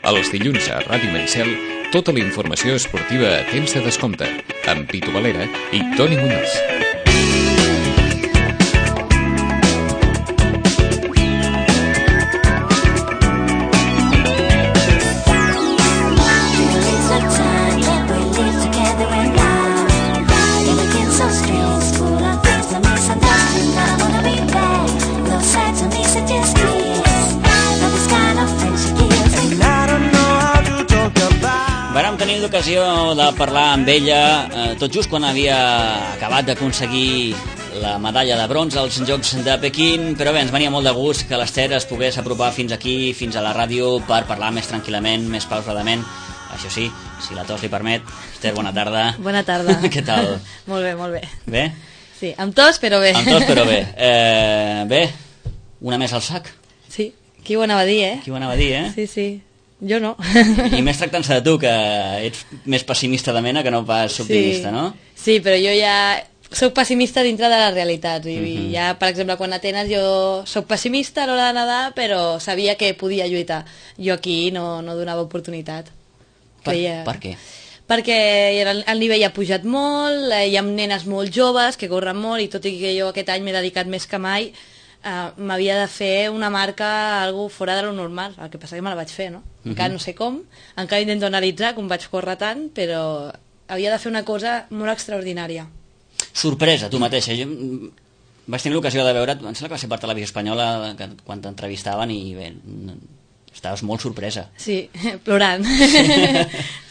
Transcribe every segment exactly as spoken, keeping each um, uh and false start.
Els dilluns a Ràdio Maricel, tota la informació esportiva a temps de descompte, amb Pitu Valera i Toni Muñoz. Vàrem tenir l'ocasió de parlar amb ella eh, tot just quan havia acabat d'aconseguir la medalla de bronze als Jocs de Pequín, però bé, ens venia molt de gust que l'Ester es pogués apropar fins aquí, fins a la ràdio, per parlar més tranquil·lament, més pausadament. Això sí, si la tos li permet. Ester, bona tarda. Bona tarda. Què tal? Molt bé, molt bé. Bé? Sí, amb tos, però bé. Amb tos, però bé. Eh, bé, una més al sac. Sí, qui ho anava a dir, eh? Qui ho anava a dir, eh? Sí, sí. Jo no. I més tractant-se de tu, que ets més pessimista de mena que no pas optimista, sí. no? Sí, però jo ja soc pessimista dintre de la realitat. I Uh-huh. ja, per exemple, quan a Atenes jo soc pessimista a l'hora de nedar, però sabia que podia lluitar. Jo aquí no, no donava oportunitat. Per, Creia... per què? Perquè el, el nivell ha pujat molt, eh, hi ha nenes molt joves que corren molt, i tot i que jo aquest any m'he dedicat més que mai, Uh, m'havia de fer una marca algo fora de lo normal, el que passa que me la vaig fer, no? Uh-huh. Encara no sé com, encara intento analitzar com vaig córrer tant, però havia de fer una cosa molt extraordinària. Sorpresa, tu mateixa. Jo mm, vaig tenir l'ocasió de veure't, em sembla que va ser per Televisió Espanyola que, quan t'entrevistaven, i bé, estaves molt sorpresa. Sí, plorant.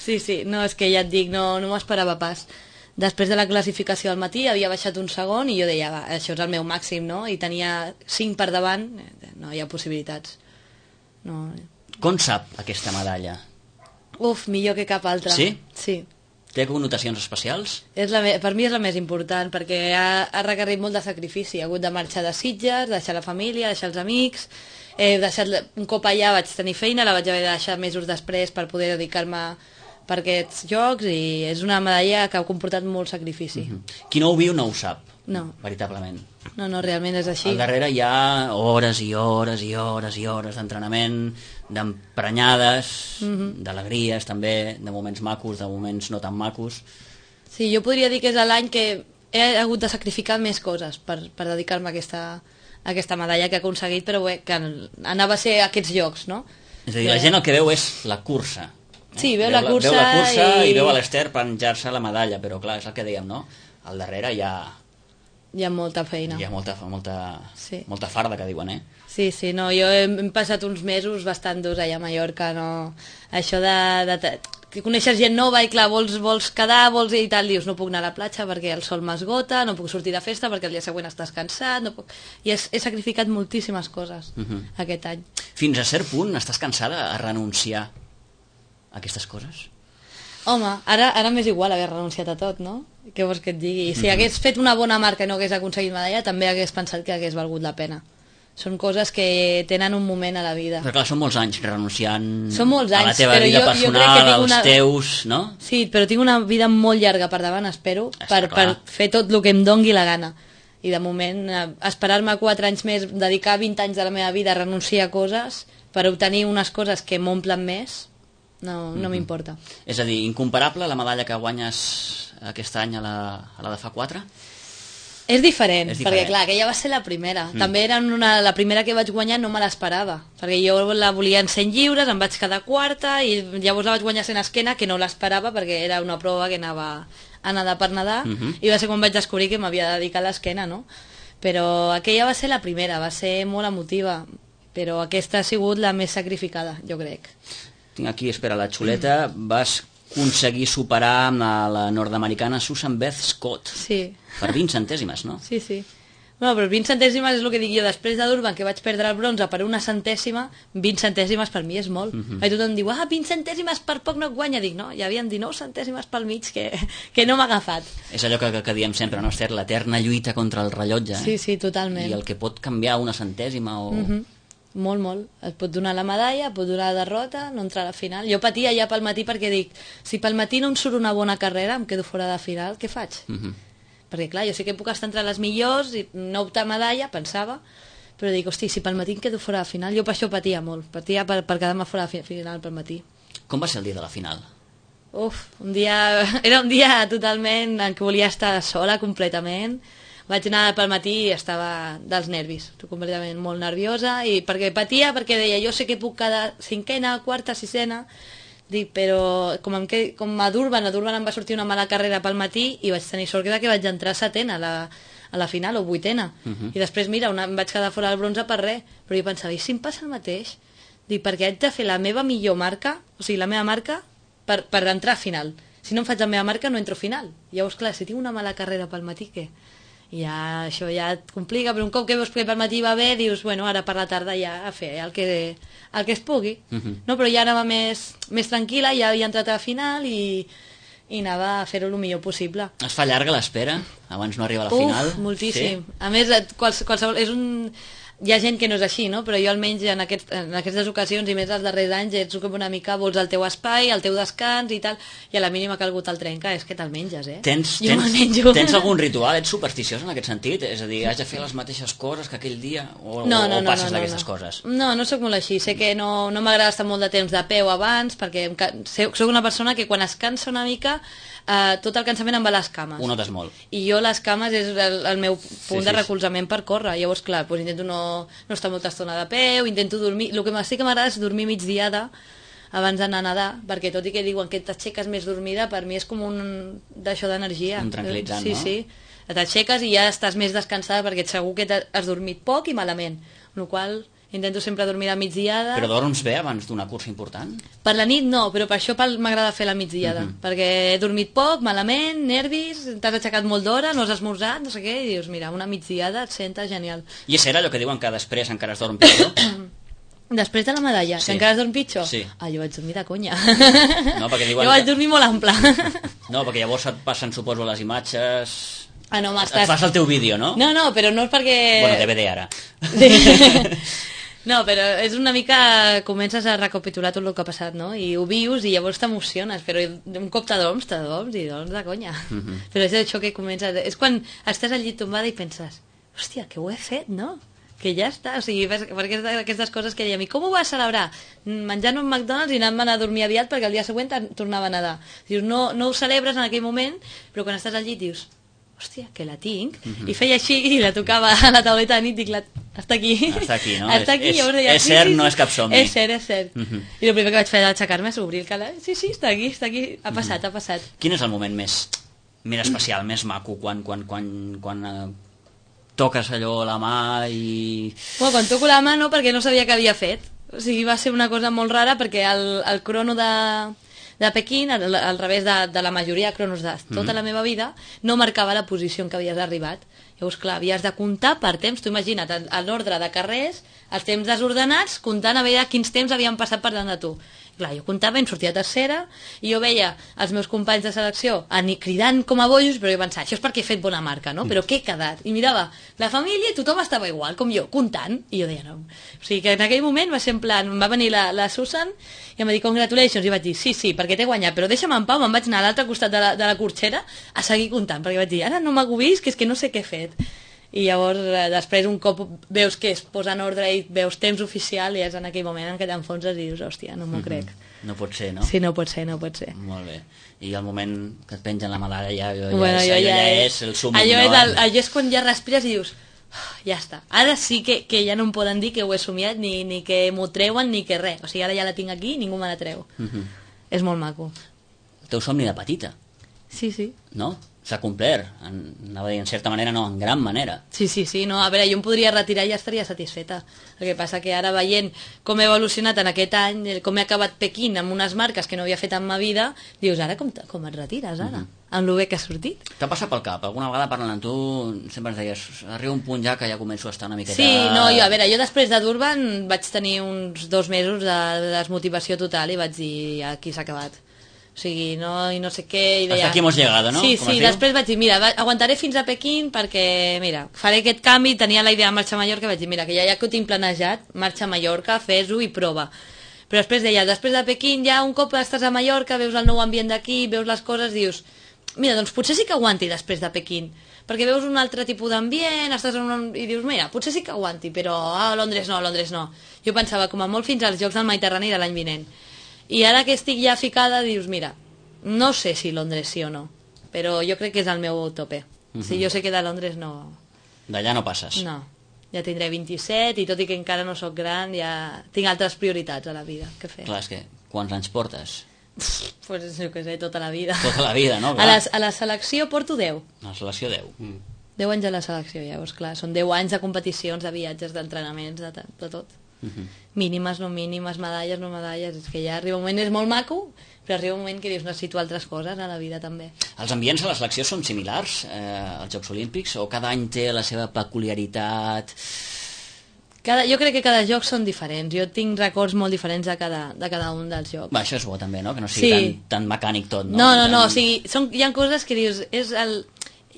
Sí, sí, no, és que ja et dic, no, no m'ho esperava pas. Després de la classificació al matí havia baixat un segon i jo deia, va, això és el meu màxim, no? I tenia cinc per davant, no hi ha possibilitats. No. Com sap aquesta medalla? Uf, millor que cap altra. Sí? Sí. Té connotacions especials? És la me... Per mi és la més important, perquè ha, ha requerit molt de sacrifici. He hagut de marxar de Sitges, deixar la família, deixar els amics. He deixat... Un cop allà vaig tenir feina, la vaig haver de deixar mesos després per poder dedicar-me per aquests jocs, i és una medalla que ha comportat molt sacrifici. Uh-huh. Qui no ho viu no ho sap, no. Veritablement. No, no, realment és així. Al darrere hi ha hores i hores i hores i hores d'entrenament, d'emprenyades, uh-huh. d'alegries també, de moments macos, de moments no tan macos. Sí, jo podria dir que és l'any que he hagut de sacrificar més coses per, per dedicar-me a aquesta, a aquesta medalla que he aconseguit, però bé, que anava a ser aquests jocs, no? És a dir, la gent el que veu és la cursa. Sí, veu, veu la cursa, veu la cursa i... i veu a i l'Ester penjar-se la medalla, però clar, és el que dèiem, no? Al darrere hi ha... Hi ha molta feina. Hi ha molta, molta, sí. molta farda, que diuen, eh? Sí, sí, no, jo he, hem passat uns mesos bastant durs allà a Mallorca, no... Això de... de que coneixes gent nova i clar, vols, vols quedar, vols i tal, dius, no puc anar a la platja perquè el sol m'esgota, no puc sortir de festa perquè el dia següent estàs cansat, no puc... I he, he sacrificat moltíssimes coses uh-huh. aquest any. Fins a cert punt estàs cansada a renunciar a aquestes coses? Home, ara, ara m'és igual haver renunciat a tot, no? Què vols que et digui? Si uh-huh. hagués fet una bona marca i no hagués aconseguit medalla, també hagués pensat que hagués valgut la pena. Són coses que tenen un moment a la vida. Però clar, són molts anys renunciant són molts anys, a la teva però vida jo, personal, jo als una... teus, no? Sí, però tinc una vida molt llarga per davant, espero, per, per fer tot el que em dongui la gana. I de moment, esperar-me quatre anys més, dedicar vint anys de la meva vida a renunciar a coses per obtenir unes coses que m'omplen més, no, no mm-hmm. m'importa. És a dir, incomparable la medalla que guanyes aquest any a la, a la de fa quatre? És diferent, és diferent, perquè clar, aquella va ser la primera. Mm. També era una, la primera que vaig guanyar no me l'esperava, perquè jo la volia en cent lliures, em vaig quedar quarta, i llavors la vaig guanyar cent esquena, que no l'esperava perquè era una prova que anava a nedar per nedar, mm-hmm. i va ser quan vaig descobrir que m'havia de dedicar a l'esquena, no? Però aquella va ser la primera, va ser molt emotiva, però aquesta ha sigut la més sacrificada, jo crec. Tinc aquí, espera, la xuleta, mm. vas aconseguir superar amb la, la nord-americana Susan Beth Scott. Sí. Per vint centèsimes, no? Sí, sí. Bueno, però vint centèsimes és el que dic jo. Després de Durban, que vaig perdre el bronze per una centèsima, vint centèsimes per mi és molt. Uh-huh. I tothom diu, ah, vint centèsimes per poc no et guanya. Dic, no, hi havia dinou centèsimes pel mig que, que no m'ha agafat. És allò que, que diem sempre, no, Ester? L'eterna lluita contra el rellotge. Eh? Sí, sí, totalment. I el que pot canviar una centèsima o... Uh-huh. Molt, molt. Et pot donar la medalla, et pot donar la derrota, no entrar a la final. Jo patia ja pel matí perquè dic, si pel matí no em surt una bona carrera, em quedo fora de final, què faig? Uh-huh. Perquè clar, jo sé que puc estar entre les millors i no optar medalla, pensava, però dic, hosti, si pel matí em quedo fora de final, jo per això patia molt, patia per, per quedar-me fora de final pel matí. Com va ser el dia de la final? Uf, un dia, era un dia totalment en què volia estar sola completament. Vaig anar pel matí i estava dels nervis, completament molt nerviosa, i perquè patia, perquè deia, jo sé que puc quedar cinquena, quarta, sisena, dic, però com, em quedi, com a Durban, a Durban em va sortir una mala carrera pel matí i vaig tenir sort que vaig entrar setena a la, a la final, o vuitena. Uh -huh. I després, mira, una, em vaig quedar fora del bronze per res, però jo pensava, i si em passa el mateix? Dic, perquè haig de fer la meva millor marca, o sigui, la meva marca, per, per entrar a final. Si no em faig la meva marca, no entro a final. Llavors, clar, si tinc una mala carrera pel matí, què? I ja, això ja et complica, però un cop que veus que pel matí va bé, dius, bueno, ara per la tarda ja a fer el que, el que es pugui. Uh -huh. No, però ja anava més, més tranquil·la, ja havia entrat a la final i, i anava a fer-ho el millor possible. Es fa llarga l'espera abans no arriba a la Uf, final? Moltíssim. Sí? A més, quals, qualsevol, és un... Hi ha gent que no és així, no? Però jo almenys en, aquest, en aquestes ocasions i més els darrers anys ets com una mica, vols el teu espai, el teu descans i tal, i a la mínima que algú te'l trenca és que te'l menges, eh? Tens, jo tens, tens algun ritual? Ets supersticiós en aquest sentit? És a dir, has de fer les mateixes coses que aquell dia? O, no, no, o no, passes no, no, d'aquestes no. coses? No, no sóc molt així. Sé que no, no m'agrada estar molt de temps de peu abans, perquè sóc una persona que quan es cansa una mica, eh, tot el cansament em va a les cames. Ho notes molt. I jo les cames és el, el meu punt sí, de sí, recolzament per córrer. Llavors, clar, doncs intento no, no estar molta estona de peu, intento dormir... El que sí que m'agrada és dormir migdiada abans d'anar a nedar, perquè tot i que diuen que t'aixeques més dormida, per mi és com un d'això d'energia. Un tranquil·litzant, sí, no? Sí, sí. T'aixeques i ja estàs més descansada perquè segur que has dormit poc i malament. Amb la qual intento sempre dormir a migdiada. Però dorms bé abans d'una cursa important? Per la nit no, però per això m'agrada fer la migdiada, uh -huh. perquè he dormit poc, malament, nervis, t'has aixecat molt d'hora, no has esmorzat, no sé què, i dius, mira, una migdiada et senta genial. I és cert allò que diuen que després encara es dorm pitjor? Després de la medalla, sí. Que encara es dorm pitjor? Sí. Ah, jo vaig dormir de conya. No, perquè diuen jo vaig que... dormir molt ample. No, perquè llavors et passen, suposo, les imatges... Ah, no, et fas el teu vídeo, no? No, no, però no és perquè... Bueno, D V D ara. Sí. No, però és una mica... Comences a recapitular tot el que ha passat, no? I ho vius i llavors t'emociones, però un cop t'adorms, t'adorms i dorms de conya. Uh -huh. Però és això que comences... És quan estàs al llit tombada i penses, hòstia, que ho he fet, no? Que ja està, o sigui, perquè aquestes coses que dèiem, i com ho vas celebrar? Menjant un McDonald's i anant a dormir aviat perquè el dia següent tornava a nedar. Dius, no, no ho celebres en aquell moment, però quan estàs al llit dius, hòstia, que la tinc, uh -huh. I feia així i la tocava a la tauleta de nit i dic, la... està aquí. Està aquí, no? Està aquí, és, llavors deia, és sí, cert, sí, sí, no és cap somni. És cert, és cert. Uh -huh. I el primer que vaig fer d'aixecar-me és obrir el calaix. Sí, sí, està aquí, està aquí. Ha passat, uh -huh. ha passat. Quin és el moment més, més especial, més maco, quan, quan, quan, quan uh, toques allò a la mà i... Bueno, quan toco la mà no, perquè no sabia què havia fet. O sigui, va ser una cosa molt rara perquè el, el crono de... de Pequín, al, al revés de, de la majoria de cronos de tota mm-hmm. la meva vida, no marcava la posició en què havies arribat. Llavors, clar, havies de comptar per temps. Tu imagina't, en l'ordre de carrers, els temps desordenats, comptant a veure quins temps havien passat per davant de tu. Clar, jo comptava, em sortia tercera, i jo veia els meus companys de selecció cridant com a bojos, però jo pensava, això és perquè he fet bona marca, no? Però què he quedat? I mirava la família i tothom estava igual, com jo, comptant, i jo deia, no. O sigui que en aquell moment va ser en plan, em va venir la, la Susan i em va dir, congratulations, i vaig dir, sí, sí, perquè t'he guanyat, però deixa'm en pau, me'n vaig anar a l'altre costat de la, de la corxera a seguir comptant, perquè vaig dir, ara no m'agobis, que és que no sé què he fet. I llavors, eh, després, un cop veus que es posa en ordre i veus temps oficial, i és en aquell moment en què t'enfonses i dius, hòstia, no m'ho mm-hmm. crec. No pot ser, no? Sí, no pot ser, no pot ser. Molt bé. I el moment que et pengen la medalla ja, ja, bueno, és, ja, ja, ja és, és el súmmum, allò no? És el, allò és quan ja respires i dius, oh, ja està. Ara sí que, que ja no em poden dir que ho he somiat, ni, ni que m'ho treuen, ni que res. O sigui, ara ja la tinc aquí i ningú me la treu. Mm-hmm. És molt maco. El teu somni de petita. Sí, sí. No? S'ha complert, en, anava a dir, en certa manera no, en gran manera. Sí, sí, sí, no, a veure, jo em podria retirar i ja estaria satisfeta. El que passa que ara veient com he evolucionat en aquest any, com he acabat Pequín amb unes marques que no havia fet en ma vida, dius, ara com, com et retires, ara? Mm -hmm. Amb lo bé que ha sortit. T'ha passat pel cap? Alguna vegada parlant amb tu sempre ens deies, arriba un punt ja que ja començo a estar una miqueta... Sí, no, jo, a veure, jo després de Durban vaig tenir uns dos mesos de desmotivació total i vaig dir, aquí s'ha acabat. O sigui, no, i no sé què... I deia... Hasta aquí hemos llegado, no? Sí, Com sí, després vaig dir, mira, va, aguantaré fins a Pequín perquè, mira, faré aquest canvi, tenia la idea de marxar a Mallorca, vaig dir, mira, que ja, ja que ho tinc planejat, marxa a Mallorca, fes-ho i prova. Però després deia, després de Pequín, ja un cop estàs a Mallorca, veus el nou ambient d'aquí, veus les coses, dius, mira, doncs potser sí que aguanti després de Pequín, perquè veus un altre tipus d'ambient, estàs en un... i dius, mira, potser sí que aguanti, però a Londres no, a Londres no. Jo pensava, com a molt fins als Jocs del Mediterrani de l'any vinent. I ara que estic ja ficada, dius, mira, no sé si Londres sí o no, però jo crec que és el meu tope. Uh-huh. Si jo sé que de Londres no... D'allà no passes. No, ja tindré vint-i-set i tot i que encara no sóc gran, ja tinc altres prioritats a la vida que fer. Clar, és que quants anys portes? Pues jo què sé, tota la vida. Tota la vida, no? A la, a la selecció porto deu. A la selecció deu. Mm. deu anys a la selecció, llavors, clar. Són deu anys de competicions, de viatges, d'entrenaments, de, de tot. Uh-huh. Mínimes, no mínimes, medalles, no medalles. És que ja arriba un moment, és molt maco, però arriba un moment que dius, necessito altres coses a la vida també. Els ambients a la selecció són similars eh, als Jocs Olímpics o cada any té la seva peculiaritat? Cada, jo crec que cada joc són diferents. Jo tinc records molt diferents de cada, de cada un dels jocs. Va, això és bo també, no? Que no sigui sí. tan, tan mecànic tot, no? No, no, tan... no, o sigui, són, hi ha coses que dius... És el...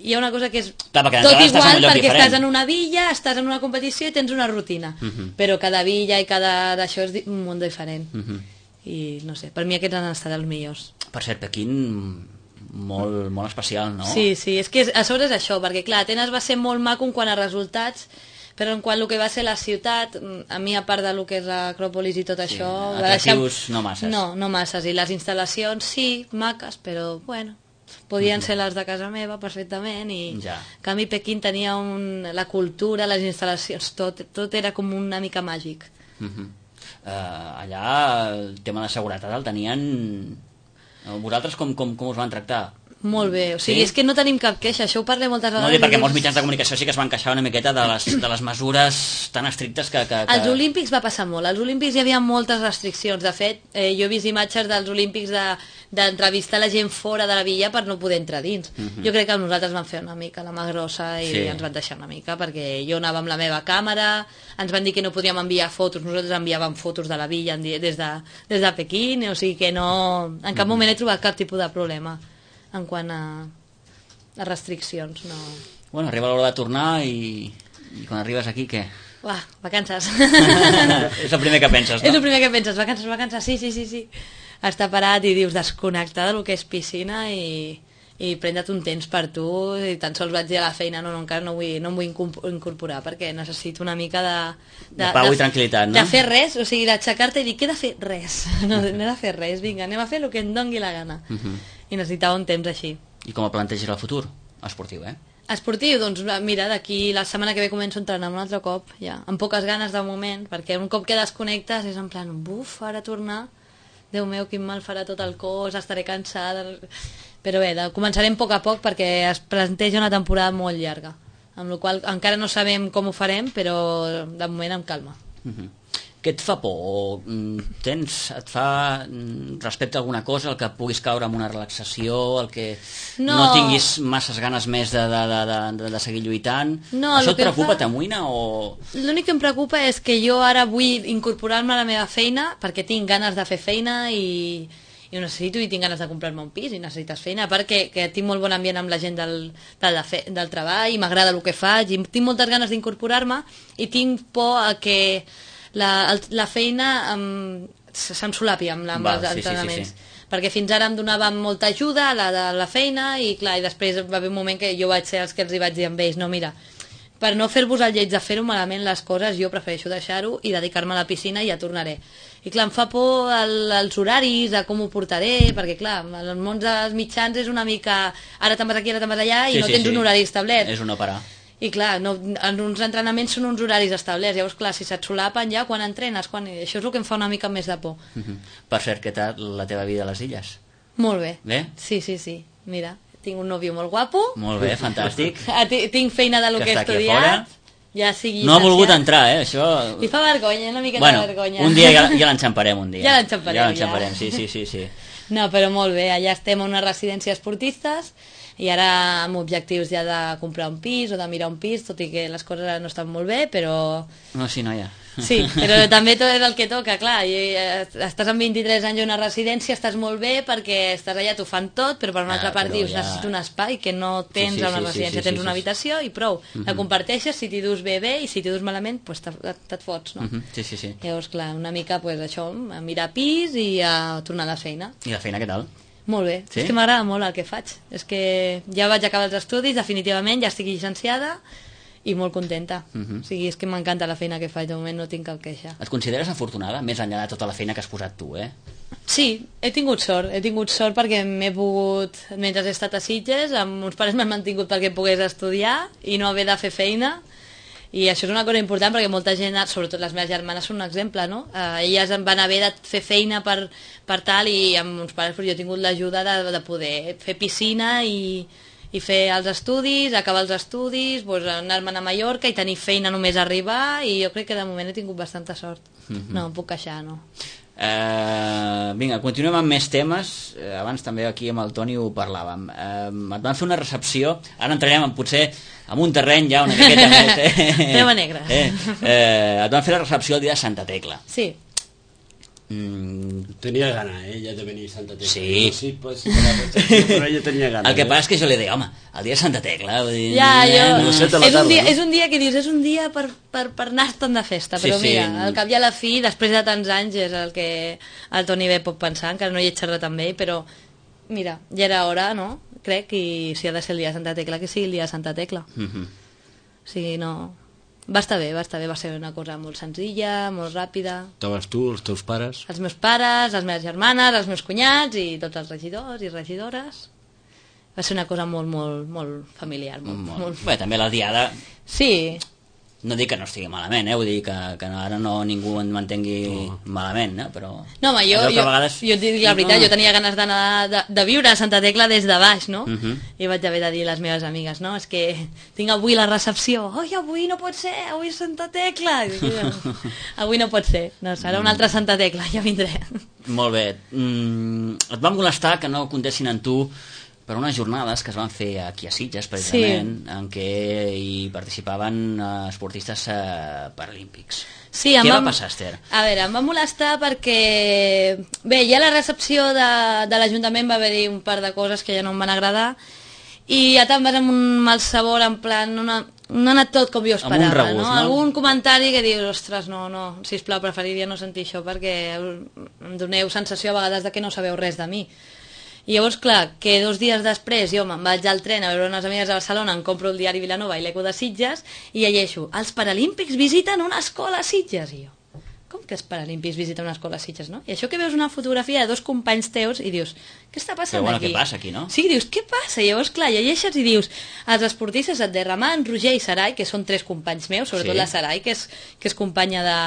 Hi ha una cosa que és clar, tot igual perquè diferent. Estàs en una villa, estàs en una competició i tens una rutina. Uh -huh. Però cada villa i cada d'això és un món diferent. Uh -huh. I no sé, per mi aquests han estat els millors. Per cert, Pequín... Molt, molt especial, no? Sí, sí, és que a sobre és això, perquè clar, Atenes va ser molt maco en quant a resultats, però en quant el que va ser la ciutat, a mi a part de lo que és l'Acròpolis i tot sí, això... Atractius deixar... no masses. No, no masses, i les instal·lacions sí, maques, però bueno, podien mm-hmm. ser les de casa meva perfectament, i ja. En canvi Pequín tenia un... la cultura, les instal·lacions, tot, tot era com una mica màgic. Mm-hmm. uh, allà el tema de seguretat el tenien... Vosaltres com, com, com us van tractar? Molt bé, o sigui, sí? És que no tenim cap queixa, això ho parlem moltes vegades. No, dir, perquè molts mitjans de comunicació sí que es van queixar una miqueta de les, de les mesures tan estrictes que, que, que... Als Olímpics va passar molt, als Olímpics hi havia moltes restriccions, de fet, eh, jo he vist imatges dels Olímpics d'entrevistar de, la gent fora de la villa per no poder entrar dins. Uh-huh. Jo crec que nosaltres vam fer una mica la mà grossa i sí. ens van deixar una mica, perquè jo anava amb la meva càmera, ens van dir que no podíem enviar fotos, nosaltres enviàvem fotos de la villa des de, des de Pequín, o sigui que no, en cap uh-huh. moment he trobat cap tipus de problema en quant a, a restriccions, no... Bueno, arriba l'hora de tornar i, i quan arribes aquí, què? Uah, vacances. És el primer que penses, no? És el primer que penses, vacances, vacances, sí, sí, sí, sí. Estar parat i dius desconnectar del que és piscina i, i prendre't un temps per tu, i tan sols vaig dir a la feina, no, no encara no, vull, no em vull incorporar perquè necessito una mica de... De, de pau de, i tranquil·litat, no? De fer res, o sigui, d'aixecar-te i dir, què he de fer? Res. No, no he de fer res, vinga, anem a fer el que em dongui la gana. Uh -huh. I necessitava un temps així. I com el planteges el futur? Esportiu, eh? Esportiu, doncs mira, d'aquí la setmana que ve començo a entrenar un altre cop, ja, amb poques ganes de moment, perquè un cop que desconnectes és en plan, buf, ara tornar, Déu meu, quin mal farà tot el cos, estaré cansada... Però bé, de, començarem a poc a poc perquè es planteja una temporada molt llarga, amb la qual encara no sabem com ho farem, però de moment amb calma. Uh-huh. Què et fa por? Tens, et fa respecte a alguna cosa, el que puguis caure en una relaxació, el que no, no tinguis masses ganes més de, de, de, de, de seguir lluitant? No, això et preocupa, fa... t'amoïna o...? L'únic que em preocupa és que jo ara vull incorporar-me a la meva feina perquè tinc ganes de fer feina i, i ho necessito i tinc ganes de comprar-me un pis i necessites feina, perquè que tinc molt bon ambient amb la gent del, del, del treball i m'agrada el que faig i tinc moltes ganes d'incorporar-me i tinc por a que La, la feina um, se'm solapi amb, amb Va, els sí, entrenaments sí, sí, sí. perquè fins ara em donaven molta ajuda la de la feina i clar, i després va haver un moment que jo vaig ser els que els hi vaig dir amb ells, no mira, per no fer-vos el lleig de fer-ho malament les coses, jo prefereixo deixar-ho i dedicar-me a la piscina i ja tornaré. I clar, em fa por el, els horaris, a com ho portaré, perquè clar, el món dels mitjans és una mica ara te'n vas aquí, ara te'n vas allà i sí, no sí, tens sí. un horari establert. És un no parar. I clar, no, en uns entrenaments són uns horaris establerts, llavors clar, si se't solapen ja quan entrenes, quan... això és el que em fa una mica més de por. Uh-huh. Per cert, què tal la teva vida a les illes? Molt bé. Bé? Sí, sí, sí, mira, tinc un nòvio molt guapo. Molt bé, fantàstic. Tinc feina de lo que, que he estudiat. Ja sigui no ha volgut entrar, eh, això... Li fa vergonya, una miqueta bueno, de vergonya. Un dia ja, ja l'enxamparem, un dia. Ja l'enxamparem, ja. l'enxamparem, ja. sí, sí, sí, sí. No, però molt bé, allà estem a una residència esportistes i ara amb objectius ja de comprar un pis o de mirar un pis, tot i que les coses ara no estan molt bé, però... No, sí, noia. Sí, però també tot és el que toca, clar, i estàs amb vint-i-tres anys a una residència, estàs molt bé perquè estàs allà, t'ho fan tot, però per una ah, altra part dius, ja... necessito un espai que no tens sí, sí, a una sí, residència, sí, sí, tens sí, una sí. habitació i prou, uh-huh. la comparteixes, si t'hi dus bé bé i si t'hi dus malament, pues te't fots, no? Uh-huh. Sí, sí, sí. Llavors, clar, una mica, pues, això, a mirar pis i a tornar a la feina. I la feina què tal? Molt bé, Sí? és que m'agrada molt el que faig. És que ja vaig acabar els estudis, definitivament, ja estic llicenciada i molt contenta. Mhm. O sigui, és que m'encanta la feina que faig, de moment no tinc cap queixa. Et consideres afortunada, més enllà de tota la feina que has posat tu, eh? Sí, he tingut sort, he tingut sort perquè m'he pogut, mentre he estat a Sitges, amb uns pares m'han mantingut perquè pogués estudiar i no haver de fer feina, i això és una cosa important perquè molta gent, sobretot les meves germanes, són un exemple, no? Eh, elles em van haver de fer feina per, per tal, i amb uns pares però jo he tingut l'ajuda de, de poder fer piscina i, i fer els estudis, acabar els estudis, doncs anar-me'n a Mallorca i tenir feina només arribar, i jo crec que de moment he tingut bastanta sort. Mm-hmm. No, em puc queixar, no. Uh, vinga, continuem amb més temes. uh, abans també aquí amb el Toni ho parlàvem. Uh, et van fer una recepció, ara entrarem en, potser en un terreny ja una miqueta més, eh? Tema negra. eh? Uh, et van fer la recepció el dia de Santa Tecla. Sí. mm, Tenia gana, eh, ja de venir a Santa Tecla. Sí. No, sí, pues, sí, però ella tenia gana. el que eh? passa és que jo li deia, home, el dia de Santa Tecla, vull dir, Ja, jo... eh, no sé, te la és, un tarda, dia, no? és un dia que dius, és un dia per, per, per anar-te'n de festa, Sí, però sí. mira, al cap i a la fi, després de tants anys, és el que el Toni bé pot pensar, encara no hi he xerrat amb ell, però mira, ja era hora, no? Crec, i si ha de ser el dia de Santa Tecla, que sigui el dia de Santa Tecla. mhm. O sigui, no... Va estar bé, va estar bé, va ser una cosa molt senzilla, molt ràpida. Estaves tu, els teus pares... Els meus pares, les meves germanes, els meus cunyats i tots els regidors i regidores. Va ser una cosa molt, molt, molt familiar. Molt, Molt. molt... Bé, també la diada, Sí, no dic que no estigui malament, eh? Vull dir que, que ara no ningú en mantengui no. malament, eh? Però... no, home, jo, allò que jo, a vegades... jo et dic la veritat, jo tenia ganes d'anar de, de viure a Santa Tecla des de baix, no? Uh -huh. I vaig haver de dir a les meves amigues, no, és que tinc avui la recepció. Oi, avui no pot ser, avui és Santa Tecla. I dic, no, avui no pot ser, no, serà una altra Santa Tecla, ja vindré. Molt bé. Mm, et va molestar que no comptessin en tu per unes jornades que es van fer aquí a Sitges, precisament, sí. en què hi participaven eh, esportistes eh, paralímpics. Sí, Què em va passar, Esther? A veure, em va molestar perquè... Bé, ja a la recepció de, de l'Ajuntament va haver-hi un par de coses que ja no em van agradar, i ja te'n vas amb un mal sabor, en plan... Una, no ha anat tot com jo esperava, Amb un regust, no? no? Algun comentari que dius, ostres, no, no, sisplau, preferiria no sentir això perquè em doneu sensació a vegades de que no sabeu res de mi. I llavors, clar, que dos dies després jo me'n vaig al tren a veure unes amigues a Barcelona, em compro el diari Vilanova i l'Eco de Sitges i llegeixo, els paralímpics visiten una escola a Sitges. I jo, com que els paralímpics visiten una escola a Sitges, no? I això que veus una fotografia de dos companys teus i dius, què està passant Però bueno, aquí? què passa aquí, no? Sí, dius, què passa? I llavors, clar, llegeixes i dius, els esportistes et derramen, Roger i Sarai, que són tres companys meus, sobretot Sí. la Sarai, que és, que és companya de,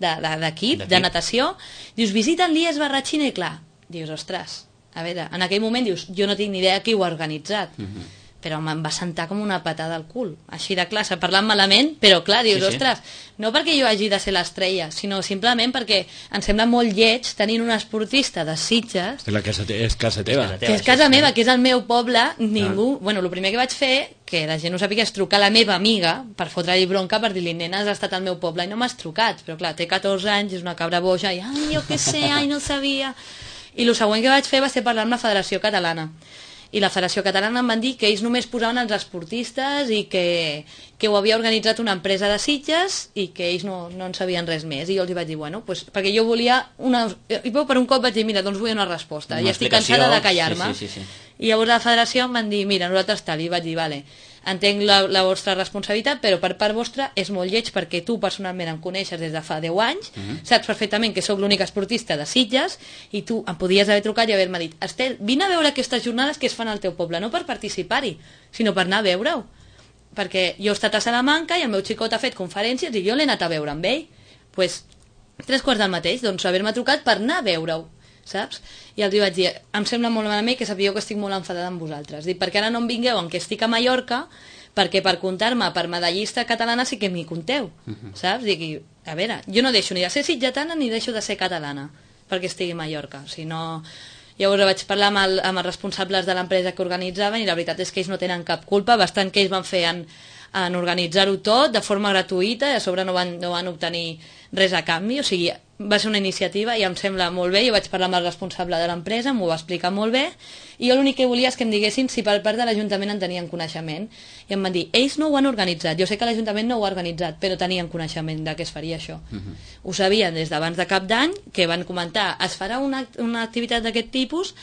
de, de, d'equip, D'equip. de natació, dius, visiten l'I E S Barratxina i clar, dius, ostres, a veure, en aquell moment dius, jo no tinc ni idea qui ho ha organitzat, Uh -huh. però me'n va sentar com una patada al cul, així de classe, parlant malament, però clar, dius, Sí, sí. ostres, no perquè jo hagi de ser l'estrella, sinó simplement perquè em sembla molt lleig tenint un esportista de Sitges, És, la casa te és casa teva. casa teva. que és sí, casa sí. meva, que és el meu poble, ningú... Bueno, el primer que vaig fer, que la gent no sàpiga, és trucar a la meva amiga per fotre-li bronca, per dir-li, nena, has estat al meu poble i no m'has trucat, però clar, té catorze anys, és una cabra boja, i ai, jo què sé, ai, no sabia... I el següent que vaig fer va ser parlar amb la Federació Catalana. I la Federació Catalana em van dir que ells només posaven els esportistes i que, que ho havia organitzat una empresa de Sitges i que ells no, no en sabien res més. I jo els vaig dir, bueno, pues, perquè jo volia una... I per un cop vaig dir, mira, doncs vull una resposta. Una I estic explicació, cansada de callar-me. sí, sí, sí, sí. I llavors la Federació em van dir, mira, nosaltres tal. I vaig dir, vale, entenc la, la vostra responsabilitat, però per part vostra és molt lleig perquè tu personalment em coneixes des de fa deu anys, uh -huh. saps perfectament que sóc l'única esportista de Sitges i tu em podies haver trucat i haver-me dit, Estel, vine a veure aquestes jornades que es fan al teu poble, no per participar-hi, sinó per anar a veure-ho. Perquè jo he estat a Salamanca i el meu xicot ha fet conferències i jo l'he anat a veure amb ell. Doncs pues, tres quarts del mateix, doncs haver-me trucat per anar a veure-ho, saps? I els vaig dir, em sembla molt malament que sapigueu que estic molt enfadada amb vosaltres. Dic, perquè ara no em vingueu en què estic a Mallorca, perquè per comptar-me per medallista catalana sí que m'hi compteu, uh -huh. saps? Dic, a veure, jo no deixo ni de ser sitgetana ni deixo de ser catalana perquè estigui a Mallorca, si no... Llavors vaig parlar amb, el, amb els responsables de l'empresa que organitzaven i la veritat és que ells no tenen cap culpa, bastant que ells van fer en, en organitzar-ho tot de forma gratuïta i a sobre no van, no van obtenir res a canvi, o sigui, va ser una iniciativa i em sembla molt bé, jo vaig parlar amb el responsable de l'empresa, m'ho va explicar molt bé, i jo l'únic que volia és que em diguessin si per part de l'Ajuntament en tenien coneixement, i em van dir, ells no ho han organitzat, jo sé que l'Ajuntament no ho ha organitzat, però tenien coneixement de què es faria això. Uh-huh. Ho sabien des d'abans de cap d'any, que van comentar, es farà una, una activitat d'aquest tipus,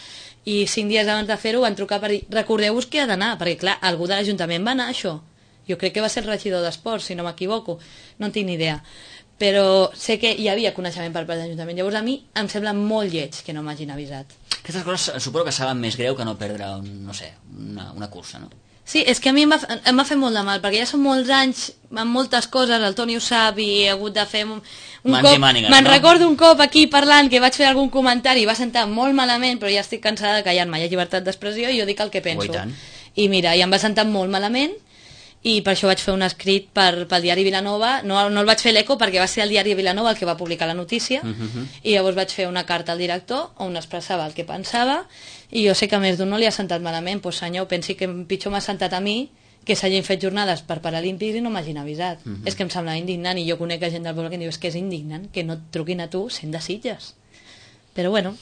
i cinc dies abans de fer-ho van trucar per dir, recordeu-vos que ha d'anar, perquè clar, algú de l'Ajuntament va anar a això. Jo crec que va ser el regidor d'Esports, si no m'equivoco, no en tinc ni idea. Però sé que hi havia coneixement per part de l'Ajuntament. Llavors a mi em sembla molt lleig que no m'hagin avisat. Aquestes coses suposo que saben més greu que no perdre, un, no sé, una, una cursa, no? Sí, és que a mi em va, em va fer molt de mal, perquè ja són molts anys amb moltes coses, el Toni ho sap, i he hagut de fer un, un Mans cop... mànigues, me'n no? recordo un cop aquí parlant que vaig fer algun comentari i va sentar molt malament, però ja estic cansada de callar-me, hi ha llibertat d'expressió i jo dic el que penso. Oh, i tant. I mira, i em va sentar molt malament, i per això vaig fer un escrit per, pel diari Vilanova, no, no el vaig fer l'Eco perquè va ser el diari Vilanova el que va publicar la notícia, uh -huh. i llavors vaig fer una carta al director on expressava el que pensava, i jo sé que a més d'un no li ha sentat malament, doncs senyor, pensi que pitjor m'ha sentat a mi que s'hagin fet jornades per Paralímpics i no m'hagin avisat. Uh -huh. És que em sembla indignant, i jo conec a gent del poble que em diu, és que és indignant que no et truquin a tu sent de Sitges. Però bueno,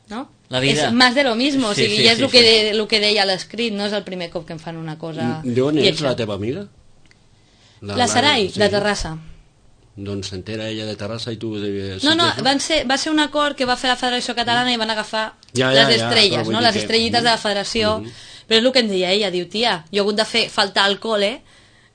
no? La vida. És més de lo mismo, o Sí, sigui, sí, ja és sí, el que, sí. de, el que deia l'escrit, no és el primer cop que em fan una cosa... D'on és lletja. la teva amiga? La Sarai, sí. de Terrassa. Doncs s'entera ella de Terrassa i tu... De... No, no, van ser, va ser un acord que va fer la Federació Catalana i van agafar Ja, ja, les ja, estrelles, però vull no? dir Les que- estrellites de la Federació. Mhm. Però és el que em deia ella, diu, tia, jo he hagut de fer faltar al cole,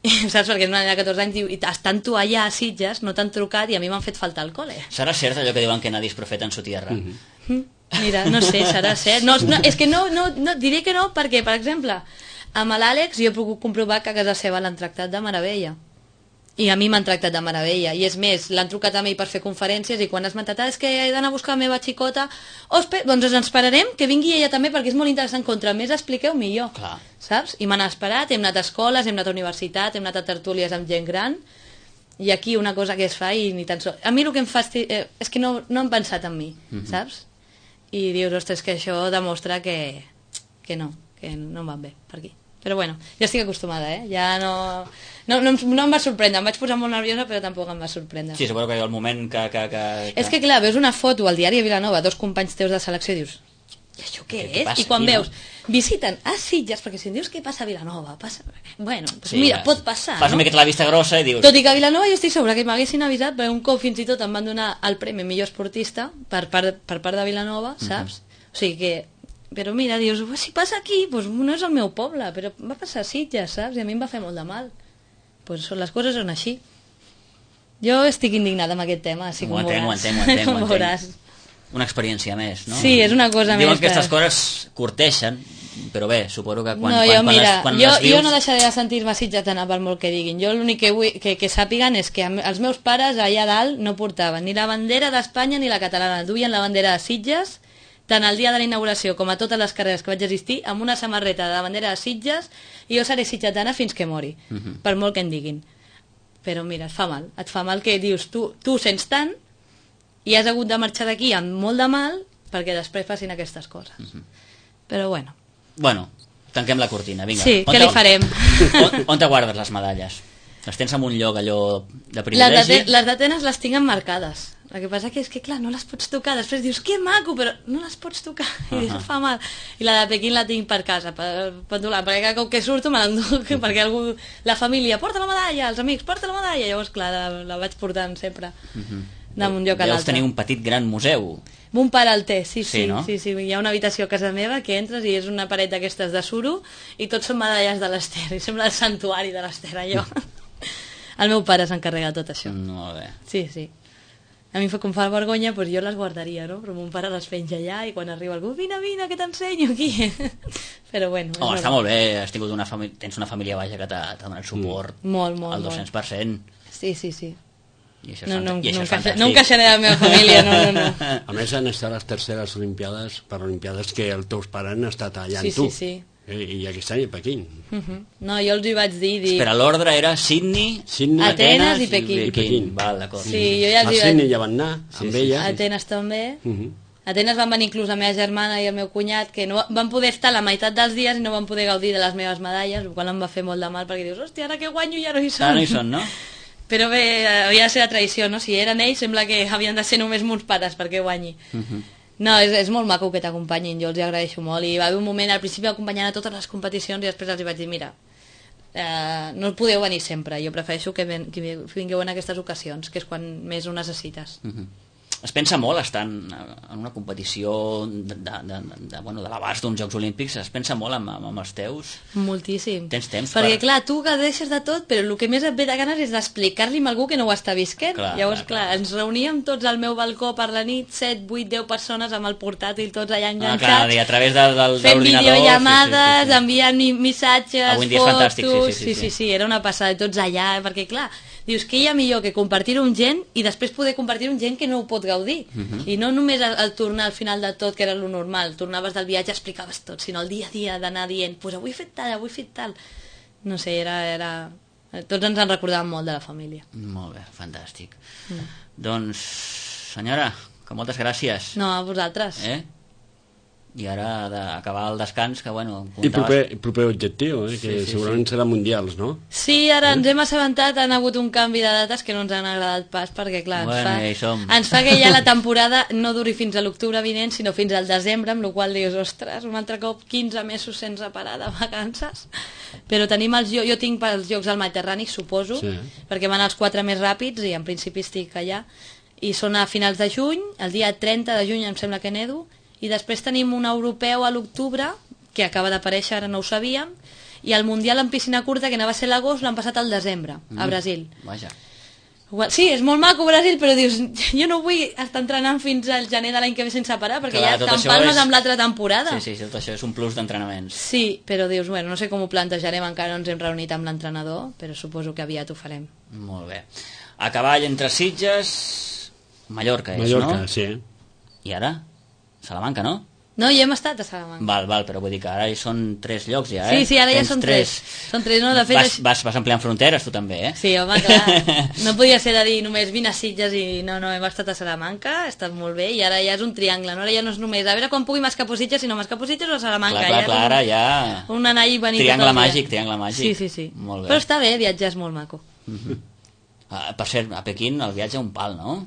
saps, perquè és una nena de catorze anys, diu, i estan tu allà a Sitges, no t'han trucat i a mi m'han fet faltar al cole. Serà cert allò que diuen que nadie es profeta en su tierra? Mhm. Mm, Mira, no sé, serà cert. No, no, és que no, no, no, diré que no, perquè, per exemple, amb l'Àlex jo he pogut comprovar que a casa seva l'han tractat de meravella. I a mi m'han tractat de meravella. I és més, l'han trucat a mi per fer conferències i quan has mentat, ah, és que he d'anar a buscar la meva xicota, Ospe, doncs ens esperarem que vingui ella també perquè és molt interessant. Contra més expliqueu, millor. Clar. Saps? I m'han esperat, hem anat a escoles, hem anat a universitat, hem anat a tertúlies amb gent gran, i aquí una cosa que es fa i ni tan sols... A mi el que em fasti... eh, és que no, no han pensat en mi, Mhm. saps? I dius, ostres, que això demostra que, que no, que no em van bé per aquí. Però bueno, ja estic acostumada, eh? Ja no... No, no, em- no em va sorprendre, em vaig posar molt nerviosa, però tampoc em va sorprendre. Sí, suposo que hi ha el moment que... que, que, que... És que clar, veus una foto al diari de Vilanova, dos companys teus de selecció, i dius, i això què, Què- què és? passa I quan aquí, no? veus, visiten a Sitges, perquè si em dius què passa a Vilanova, passa... Bueno, pues Sí, mira, ja. pot passar, Fas una no? miqueta la vista grossa i dius... Tot i que a Vilanova jo estic segura que m'haguessin avisat, perquè un cop fins i tot em van donar el premi millor esportista per part, per part de Vilanova, saps? O sigui que... Però mira, dius, "Ua, si passa aquí, doncs no és el meu poble, però va passar a Sitges, saps? I a mi em va fer molt de mal. Pues són, les coses són així. Jo estic indignada amb aquest tema, així Ho com entenc, ho veuràs. entenc, ho entenc, ho Com entenc. veuràs. Una experiència més, no? Sí, és una cosa Diuen més que aquestes que- coses curteixen, però bé, suposo que quan, no, quan, jo, quan, mira, les, quan jo, les vius... jo no deixaré de sentir-me sitgetana per molt que diguin. Jo l'únic que vull que, que sàpiguen és que am- els meus pares allà dalt no portaven ni la bandera d'Espanya ni la catalana. Duien la bandera de Sitges, tant el dia de la inauguració com a totes les carreres que vaig assistir, amb una samarreta de la bandera de Sitges, i jo seré sitgetana fins que mori, uh Mhm. -huh. per molt que en diguin. Però mira, et fa mal. Et fa mal que dius, tu, tu sents tant i has hagut de marxar d'aquí amb molt de mal perquè després facin aquestes coses. Uh -huh. Però bueno. Bueno, tanquem la cortina, vinga. Sí, On què te- li farem? On, on te guardes les medalles? Les tens en un lloc allò de Les privilegi? d'Ate- les d'Atenes les tinc emmarcades. El que passa que és que, clar, no les pots tocar. Després dius, que maco, però no les pots tocar. I uh Ahà. -huh. fa mal. I la de Pequín la tinc per casa, per, per donar, perquè cada cop que surto me l'enduc, perquè algú, la família, porta la medalla, els amics, porta la medalla. Llavors, clar, la, la vaig portant sempre Uh -huh. d'un lloc a Deus l'altre. tenir un petit gran museu. Mon pare el té, sí, Sí, sí, no? sí, sí. Hi ha una habitació a casa meva que entres i és una paret d'aquestes de suro i tots són medalles de l'Ester. I sembla el santuari de l'Ester, allò. El meu pare s'encarrega de tot això. Molt bé. Sí, sí. A mi fa com fa vergonya, doncs jo les guardaria, no? Però mon pare les penja allà i quan arriba algú, vine, vine, que t'ensenyo aquí. Però bueno. és Oh, està normal. molt bé, has tingut una família, tens una família baix que t'ha t'ha donat suport Molt, molt, al molt. dos-cents per cent. Sí, sí, sí. I això és, No, fanta- no, i això no, és encaixa, fantàstic. no encaixaré a la meva família, no, no, no. A més, han estat les terceres Olimpiades, per Olimpiades que els teus pares han estat allà Sí, amb tu. sí, sí. Eh, I aquest any a Pequín. Uh -huh. No, jo els hi vaig dir... dir... Espera, l'ordre era Sydney, Sydney, Atenes i Pequín. i Pequín. Val, d'acord. Sí, jo ja A els hi Sydney vaig... ja van anar, Sí, amb sí, ella. Atenes també. Uh -huh. Atenes van venir inclús la meva germana i el meu cunyat, que no van poder estar la meitat dels dies i no van poder gaudir de les meves medalles, el qual em va fer molt de mal, perquè dius, hòstia, ara que guanyo ja no hi són. Ara no hi són, no? Però bé, havia de ser la tradició, no? Si eren ells, sembla que havien de ser només mons pares perquè guanyi. Uh -huh. No, és, és molt maco que t'acompanyin, jo els agraeixo molt. I va haver un moment, al principi acompanyant a totes les competicions, i després els vaig dir, mira, eh, no podeu venir sempre, jo prefereixo que, ven, que vingueu en aquestes ocasions, que és quan més ho necessites. Uh -huh. Es pensa molt estar en, en una competició de, de, de, de, bueno, de l'abast d'uns Jocs Olímpics, es pensa molt amb, amb els teus? Moltíssim. Tens temps perquè per... clar, tu gaudeixes de tot, però el que més et ve de ganes és d'explicar-li a algú que no ho està visquent. Clar, llavors clar, clar, ens reuníem tots al meu balcó per la nit, set, vuit, deu persones amb el portàtil tots allà enganxats, ah, clar, a través de, del, fent videollamades, sí, sí, sí. enviant missatges, fotos, fantàstic, sí, sí, sí, sí, sí, sí, era una passada, tots allà, perquè clar, dius que hi ha millor que compartir-ho amb gent i després poder compartir-ho amb gent que no ho pot gaudir. Uh -huh. I no només el, el tornar al final de tot, que era lo normal, tornaves del viatge, explicaves tot, sinó el dia a dia d'anar dient, pues avui he fet tal, avui he fet tal. No sé, era... era... Tots ens en recordàvem molt de la família. Molt bé, fantàstic. Mm. Doncs, senyora, que moltes gràcies. No, a vosaltres. Eh? I ara d'acabar el descans, que bueno... I proper, proper objectiu, eh? Que sí, sí, segurament sí. serà mundials, no? Sí, ara ens hem assabentat, han hagut un canvi de dates que no ens han agradat pas, perquè clar, bueno, ens, fa, ens fa que ja la temporada no duri fins a l'octubre vinent, sinó fins al desembre, amb la qual dius, ostres, un altre cop quinze mesos sense parar de vacances. Però tenim els... Jo, jo tinc pels Jocs del Mediterrani, suposo, sí. perquè van els quatre més ràpids i en principi estic allà, i són a finals de juny, el dia trenta de juny em sembla que nedo, i després tenim un europeu a l'octubre, que acaba d'aparèixer, ara no ho sabíem, i el mundial en piscina curta, que anava a ser l'agost, l'han passat al desembre, a Brasil. Mm, vaja. Sí, és molt maco Brasil, però dius, jo no vull estar entrenant fins al gener de l'any que ve sense parar, perquè clar, ja t'empalmes és... amb l'altra temporada. Sí, sí, tot això és un plus d'entrenaments. Sí, però dius, bueno, no sé com ho plantejarem, encara no ens hem reunit amb l'entrenador, però suposo que aviat ho farem. Molt bé. A cavall entre Sitges, Mallorca és, Mallorca, no? Mallorca, sí. I ara? Salamanca, no? No, hi hem estat a Salamanca. Val, val, però vull dir que ara hi són tres llocs ja, eh? Sí, sí, ara Tens ja són tres. tres. Són tres, no? De fet... Vas, vas, vas ampliant fronteres, tu també, eh? Sí, home, clar. No podia ser de dir només vine a Sitges i no, no, hem estat a Salamanca, ha estat molt bé, i ara ja és un triangle, no? Ara ja no és només, a veure quan pugui m'escapo Sitges, sinó m'escapo Sitges o a Salamanca. Clar, clar, ja clar, ara ja... Un anar i venir triangle màgic, triangle màgic. Sí, sí, sí. Molt bé. Però està bé, viatjar és molt maco. Uh-huh. uh, per cert, a Pequín el viatge un pal, no?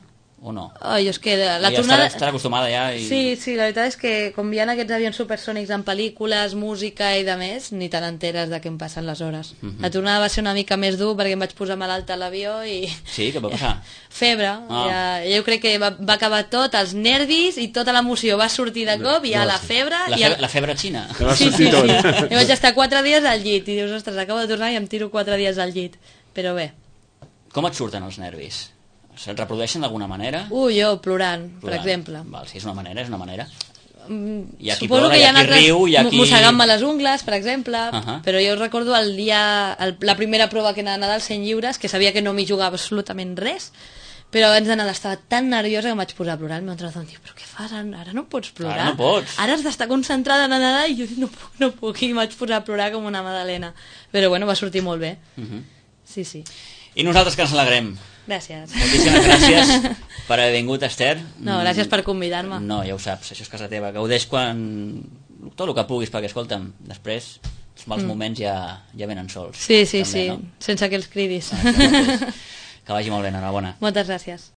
O no? Oh, jo és que la ja tornada... Estarà, estarà acostumada ja i... Sí, sí, la veritat és que com hi ha aquests avions supersònics en pel·lícules, música i de més, ni te n'enteres de què em passen les hores. Uh -huh. La tornada va ser una mica més dur perquè em vaig posar malalta a l'avió i... Sí, què va passar? Febre. Oh. Ja, jo crec que va, va acabar tot, els nervis i tota l'emoció va sortir de cop i ja la febre... La, i febre, el... la febre xina. Sí, sí, sí. I vaig estar quatre dies al llit i dius, ostres, acabo de tornar i em tiro quatre dies al llit. Però bé. Com et surten els nervis? Se't reprodueixen d'alguna manera? Uh, jo, plorant, plorant. per exemple. Val, si és una manera, és una manera. Mm, hi ha qui suposo plora, que hi ha qui altres riu, hi ha qui... mossegant-me les ungles, per exemple, uh -huh. però jo recordo el dia, el, la primera prova que anava a Nadal, cent lliures, que sabia que no m'hi jugava absolutament res, però abans de Nadal estava tan nerviosa que em vaig posar a plorar. El meu entrenador em diu, però què fas? Ara no pots plorar. Ara no pots. Ara has d'estar concentrada en Nadal i jo dic, no puc, no puc, i em vaig posar a plorar com una madalena. Però bueno, va sortir molt bé. Uh -huh. Sí, sí. I nosaltres que ens alegrem. Gràcies. Moltíssimes gràcies per haver vingut, Esther. No, gràcies per convidar-me. No, ja ho saps, això és casa teva. Gaudeix quan... tot el que puguis, perquè, escolta'm, després els mals mm. moments ja, ja venen sols. Sí, sí, també, sí, no? sense que els cridis. Ah, doncs, que vagi molt bé, enhorabona. Moltes gràcies.